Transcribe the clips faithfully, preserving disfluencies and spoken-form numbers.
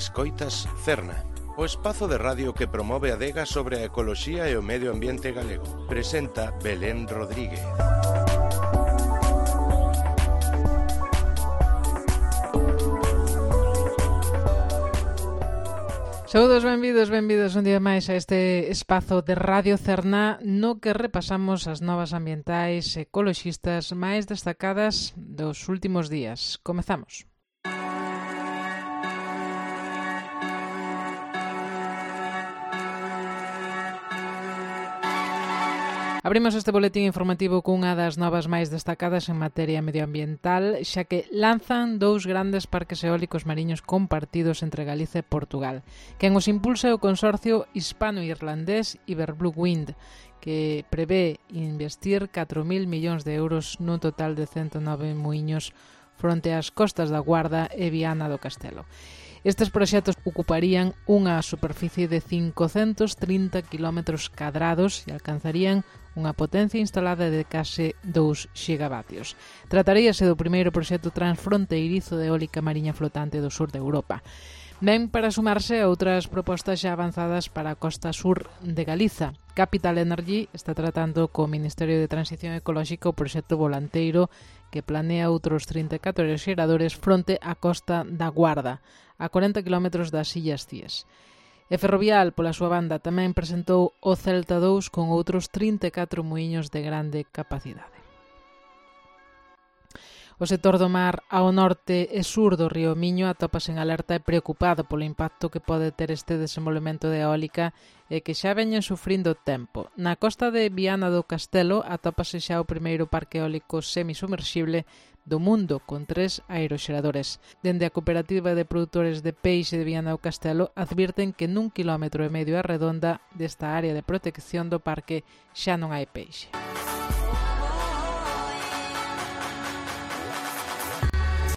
Escoitas Cerna, o espazo de radio que promove a adega sobre a ecoloxía e o medio ambiente galego. Presenta Belén Rodríguez. Saúdos, benvidos, benvidos un día máis a este espazo de Radio Cerna no que repasamos as novas ambientais ecoloxistas máis destacadas dos últimos días. Comezamos. Abrimos este boletín informativo cunha das novas máis destacadas en materia medioambiental, xa que lanzan dous grandes parques eólicos mariños compartidos entre Galicia e Portugal. Quen os impulsa é o consorcio hispano-irlandés Iberblue Wind, que prevé investir catro mil millóns de euros nun total de cento nove muiños fronte ás costas da Guarda e Viana do Castelo. Estes proxectos ocuparían unha superficie de cincocentos trinta quilómetros cadrados e alcanzarían unha potencia instalada de case dous xigavatios. Trataríase do primeiro proxecto transfronteirizo de eólica mariña flotante do sur de Europa. Ben para sumarse a outras propostas xa avanzadas para a costa sur de Galiza. Capital Energy está tratando co Ministerio de Transición Ecolóxica o proxecto volanteiro que planea outros trinta e catro xeradores fronte á costa da Guarda, a corenta quilómetros das Illas Cíes. E Ferrovial, pola súa banda, tamén presentou o Celta dous con outros trinta e catro muiños de grande capacidade. O sector do mar ao norte e sur do río Miño atópase en alerta e preocupado polo impacto que pode ter este desenvolvemento de eólica e que xa veñen sufrindo tempo. Na costa de Viana do Castelo atópase xa o primeiro parque eólico semisumerxible do mundo, con tres aeroxeradores. Dende a Cooperativa de Produtores de Peixe de Viana do Castelo advirten que nun quilómetro e medio a redonda desta área de protección do parque xa non hai peixe.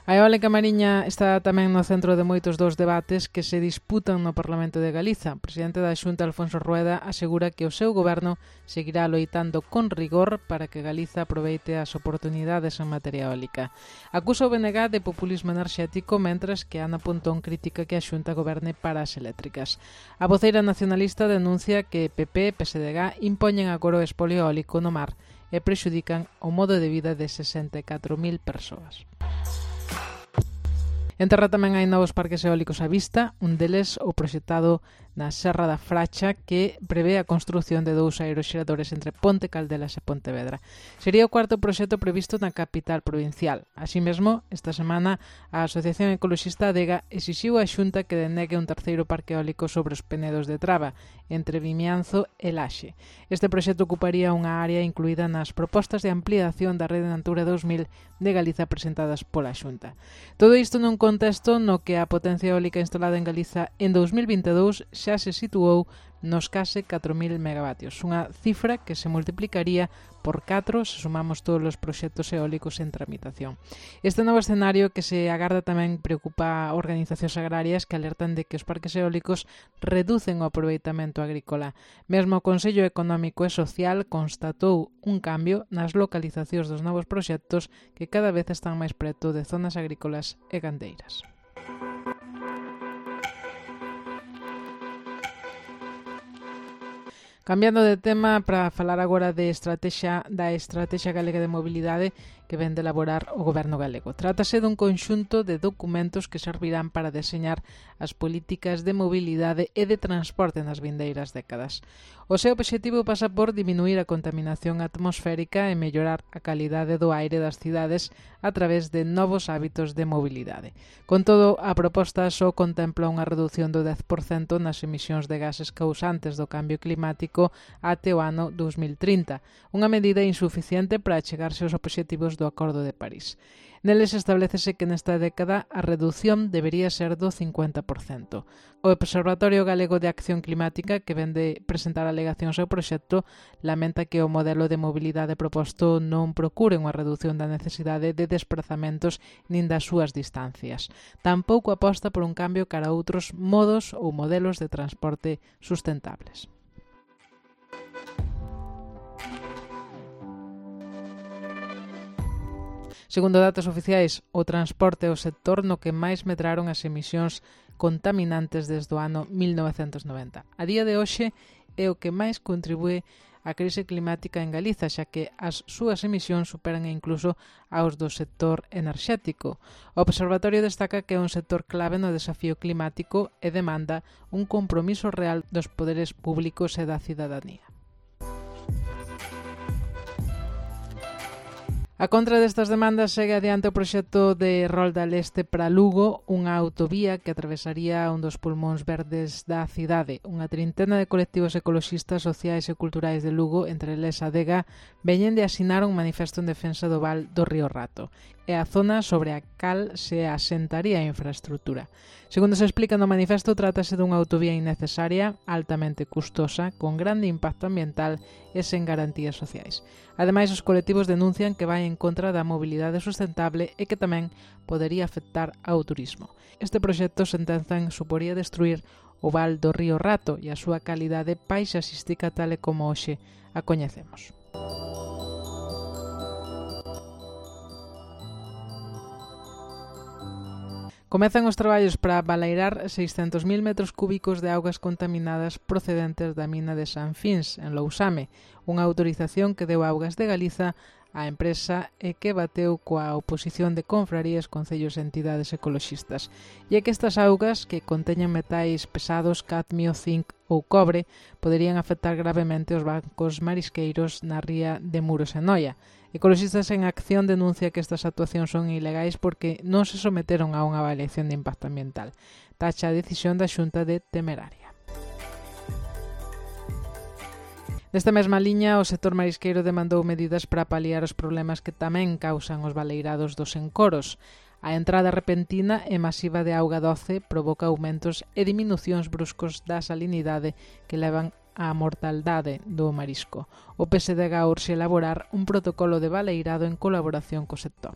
A eólica mariña está tamén no centro de moitos dos debates que se disputan no Parlamento de Galiza. O presidente da Xunta, Alfonso Rueda, asegura que o seu goberno seguirá loitando con rigor para que Galiza aproveite as oportunidades en materia eólica. Acusa o B N G de populismo enerxético, mentras que Ana Pontón critica que a Xunta goberne para as eléctricas. A voceira nacionalista denuncia que P P e P S D G impoñen agora o espolio eólico no mar e prexudican o modo de vida de sesenta e catro mil persoas. En terra tamén hai novos parques eólicos á vista, un deles o proxectado na Serra da Fracha que prevé a construción de dous aeroxeradores entre Ponte Caldelas e Pontevedra. Sería o cuarto proxecto previsto na capital provincial. Así mesmo, esta semana a Asociación Ecoloxista Adega exixiu á Xunta que denegue un terceiro parque eólico sobre os Penedos de Traba, entre Vimianzo e Laxe. Este proxecto ocuparía unha área incluída nas propostas de ampliación da Rede Natura dos mil de Galiza presentadas pola Xunta. Todo isto nun contexto no que a potencia eólica instalada en Galiza en dous mil vinte e dous xa se situou nos case catro mil megavatios, unha cifra que se multiplicaría por catro se sumamos todos os proxectos eólicos en tramitación. Este novo escenario que se agarda tamén preocupa a organizacións agrarias que alertan de que os parques eólicos reducen o aproveitamento agrícola. Mesmo o Consello Económico e Social constatou un cambio nas localizacións dos novos proxectos que cada vez están máis preto de zonas agrícolas e gandeiras. Cambiando de tema para falar agora de estrategia da Estrategia Galega de Mobilidade que vén de elaborar o Goberno galego. Trátase dun conxunto de documentos que servirán para deseñar as políticas de mobilidade e de transporte nas vindeiras décadas. O seu obxectivo pasa por diminuir a contaminación atmosférica e mellorar a calidade do aire das cidades a través de novos hábitos de mobilidade. Con todo, a proposta só contempla unha reducción do dez por cento nas emisións de gases causantes do cambio climático até o ano dos mil trinta, unha medida insuficiente para achegarse aos obxectivos do Acordo de París. Neles establecese que nesta década a reducción debería ser do cincuenta por cento. O Observatorio Galego de Acción Climática, que vende presentar alegacións ao proxecto, lamenta que o modelo de mobilidade proposto non procure unha reducción da necesidade de desplazamentos nin das súas distancias. Tampouco aposta por un cambio cara a outros modos ou modelos de transporte sustentables. Segundo datos oficiais, o transporte é o sector no que máis medraron as emisións contaminantes desde o ano mil novecentos noventa. A día de hoxe é o que máis contribúe a crise climática en Galiza, xa que as súas emisións superan incluso aos do sector enerxético. O Observatorio destaca que é un sector clave no desafío climático e demanda un compromiso real dos poderes públicos e da cidadanía. A contra destas demandas segue adiante o proxecto de Rolda Leste para Lugo, unha autovía que atravesaría un dos pulmóns verdes da cidade. Unha trintena de colectivos ecoloxistas, sociais e culturais de Lugo, entre eles Adega, veñen de asinar un manifesto en defensa do val do Río Rato e a zona sobre a cal se asentaría a infraestrutura. Segundo se explica no manifesto, trátase dunha autovía innecesaria, altamente custosa, con grande impacto ambiental e sen garantías sociais. Ademais, os colectivos denuncian que vai en contra da mobilidade sustentable e que tamén podería afectar ao turismo. Este proxecto, sentenzan, suporía destruir o val do Río Rato e a súa calidade paisaxística tal e como hoxe a coñecemos. Comezan os traballos para baleirar seiscentos mil metros cúbicos de augas contaminadas procedentes da mina de San Fins, en Lousame, unha autorización que deu Augas de Galiza á empresa e que bateu coa oposición de confrarías, concellos e entidades ecoloxistas. E é que estas augas, que conteñen metais pesados, cadmio, zinc ou cobre, poderían afectar gravemente os bancos marisqueiros na ría de Muros e Noia. Ecoloxistas en Acción denuncia que estas actuacións son ilegais porque non se someteron a unha avaliación de impacto ambiental. Tacha a decisión da Xunta de temeraria. Nesta mesma liña, o sector marisqueiro demandou medidas para paliar os problemas que tamén causan os baleirados dos encoros. A entrada repentina e masiva de auga doce provoca aumentos e diminucións bruscos da salinidade que levan á mortaldade do marisco. O P S D G urxe elaborar un protocolo de baleirado en colaboración co sector.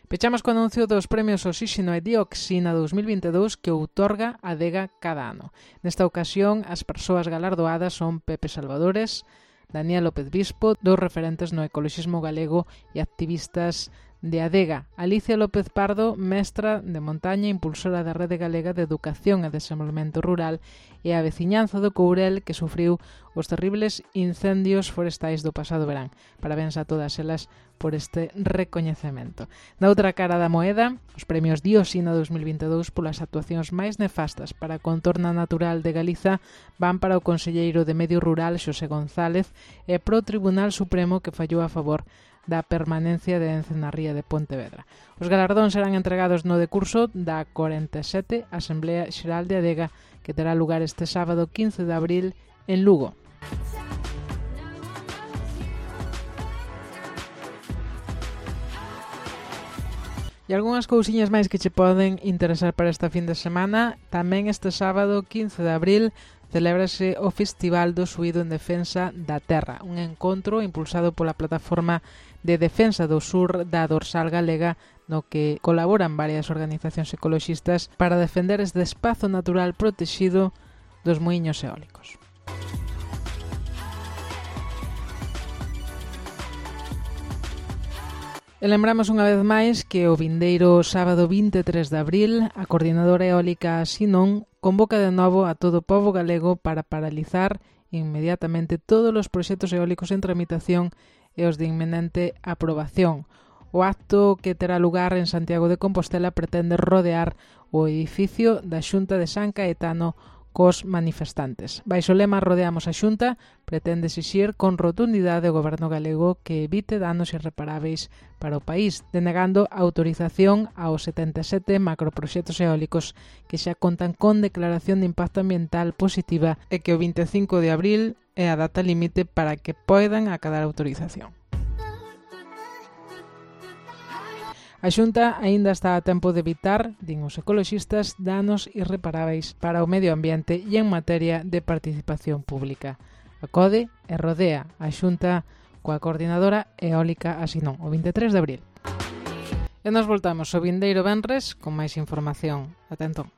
Pechamos co anuncio dos premios Oxíxeno e Dioxina dous mil vinte e dous que outorga a Adega cada ano. Nesta ocasión, as persoas galardoadas son Pepe Salvadores, Daniel López Bispo, dous referentes no ecoloxismo galego e activistas de Adega, Alicia López Pardo, mestra de montaña e impulsora da Rede Galega de Educación e Desenvolvemento Rural, e a veciñanza do Courel que sufriu os terribles incendios forestais do pasado verán. Parabéns a todas elas por este recoñecemento. Na outra cara da moeda, os premios Dioxina dous mil vinte e dous polas actuacións máis nefastas para a contorna natural de Galiza van para o conselleiro de Medio Rural Xosé González e pro Tribunal Supremo que fallou a favor da permanencia de Ence na ría de Pontevedra. Os galardóns serán entregados no decurso da cuarenta e sete Asamblea Xeral de Adega que terá lugar este sábado quince de abril en Lugo. E algunhas cousiñas máis que che poden interesar para esta fin de semana. Tamén este sábado quince de abril celébrase o Festival do Suído en Defensa da Terra, un encontro impulsado pola Plataforma de Defensa do Sur da Dorsal Galega, no que colaboran varias organizacións ecoloxistas para defender este espazo natural protexido dos muiños eólicos. E lembramos unha vez máis que o vindeiro sábado vinte e tres de abril a Coordinadora Eólica Sinón convoca de novo a todo o pobo galego para paralizar inmediatamente todos os proxectos eólicos en tramitación e os de inminente aprobación. O acto que terá lugar en Santiago de Compostela pretende rodear o edificio da Xunta de San Caetano cos manifestantes. Baixo o lema Rodeamos a Xunta, pretende exixir con rotundidade o goberno galego que evite danos irreparáveis para o país, denegando a autorización aos setenta e sete macroproxectos eólicos que xa contan con declaración de impacto ambiental positiva e que o vinte e cinco de abril é a data límite para que poidan acadar autorización. A Xunta aínda está a tempo de evitar, din os ecoloxistas, danos irreparáveis para o medio ambiente e en materia de participación pública. Acode e rodea a Xunta coa Coordinadora Eólica Asinón, o vinte e tres de abril. E nos voltamos o vindeiro venres con máis información. Ata entón.